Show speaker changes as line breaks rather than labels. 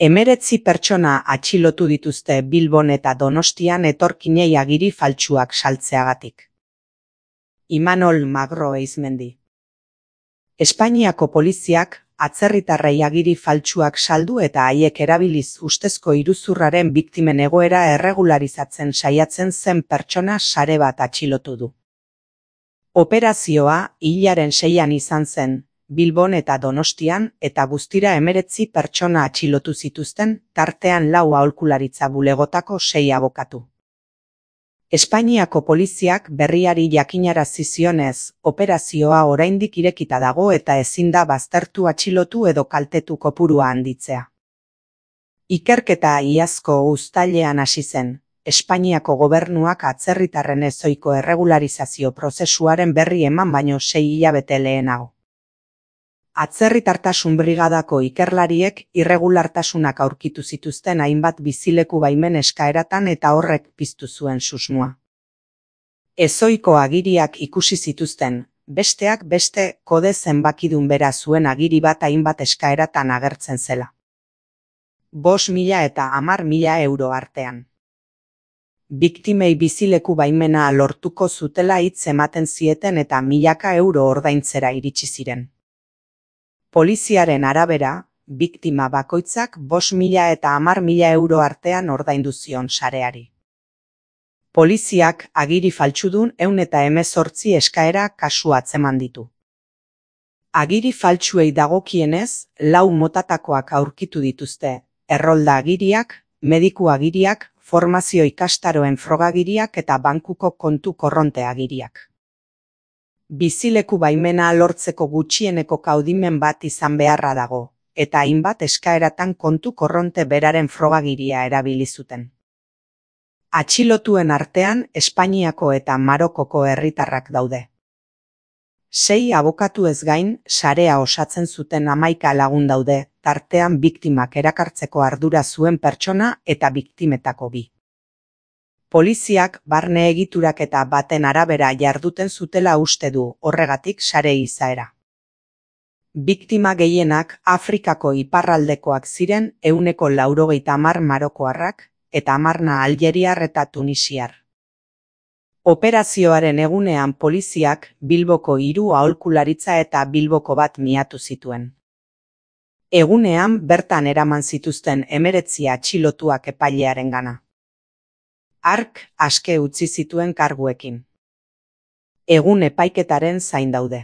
19 pertsona atxilotu dituzte Bilbon eta Donostian etorkinei agiri faltsuak saltzeagatik. Imanol Magro Eizmendi. Espainiako poliziak atzerritarrei agiri faltsuak saldu eta haiek erabiliz ustezko iruzurraren biktimen egoera erregularizatzen saiatzen zen pertsona sare bat atxilotu du. Operazioa hilaren 6an izan zen, Bilbon eta Donostian, eta guztira 19 pertsona atxilotu zituzten, tartean 4 aholkularitza bulegotako 6 abokatu. Espainiako poliziak berriari jakinarazi zionez, operazioa oraindik irekita dago eta ezin da baztertu atxilotu edo kaltetu kopurua handitzea. Ikerketa iazko uztailean hasi zen. Espainiako gobernuak atzerritarren ezohiko erregularizazio prozesuaren berri eman baino 6 hilabete lehenago. Atzerritartasun brigadako ikerlariek irregulartasunak aurkitu zituzten hainbat bizileku baimen eskaeratan eta horrek piztu zuen susmoa. Ezohiko agiriak ikusi zituzten, besteak beste kode zenbakidun bera zuen agiri bat hainbat eskaeratan agertzen zela. 5.000 eta 10.000 euro artean. Biktimei bizileku baimena lortuko zutela hitz ematen zieten eta milaka euro ordaintzera iritsi ziren. Poliziaren arabera, biktima bakoitzak 5.000 eta 10.000 euro artean ordaindu zion sareari. Poliziak agiri faltsudun 118 eskaera kasu atzeman ditu. Agiri faltsuei dagokienez, 4 motatakoak aurkitu dituzte, errolda agiriak, mediku agiriak, formazio ikastaroen frogagiriak eta bankuko kontu korronte agiriak. Bizileku baimena lortzeko gutxieneko kaudimen bat izan beharra dago, eta hainbat eskaeratan kontu korronte beraren frogagiria erabili zuten. Atxilotuen artean Espainiako eta Marokoko herritarrak daude. 6 abokatu ez gain, sarea osatzen zuten 11 lagun daude, tartean biktimak erakartzeko ardura zuen pertsona eta biktimetako 2. Poliziak barne egiturak eta baten arabera jarduten zutela uste du, horregatik sare izaera. Biktima gehienak Afrikako iparraldekoak ziren 190 marokoarrak eta 10 aljeriar eta tunisiar. Operazioaren egunean poliziak Bilboko 3 aholkularitza eta Bilboko bat miatu zituen. Egunean bertan eraman zituzten 19 atxilotuak epailearengana. Hark aske utzi zituen karguekin. Egun epaiketaren zain daude.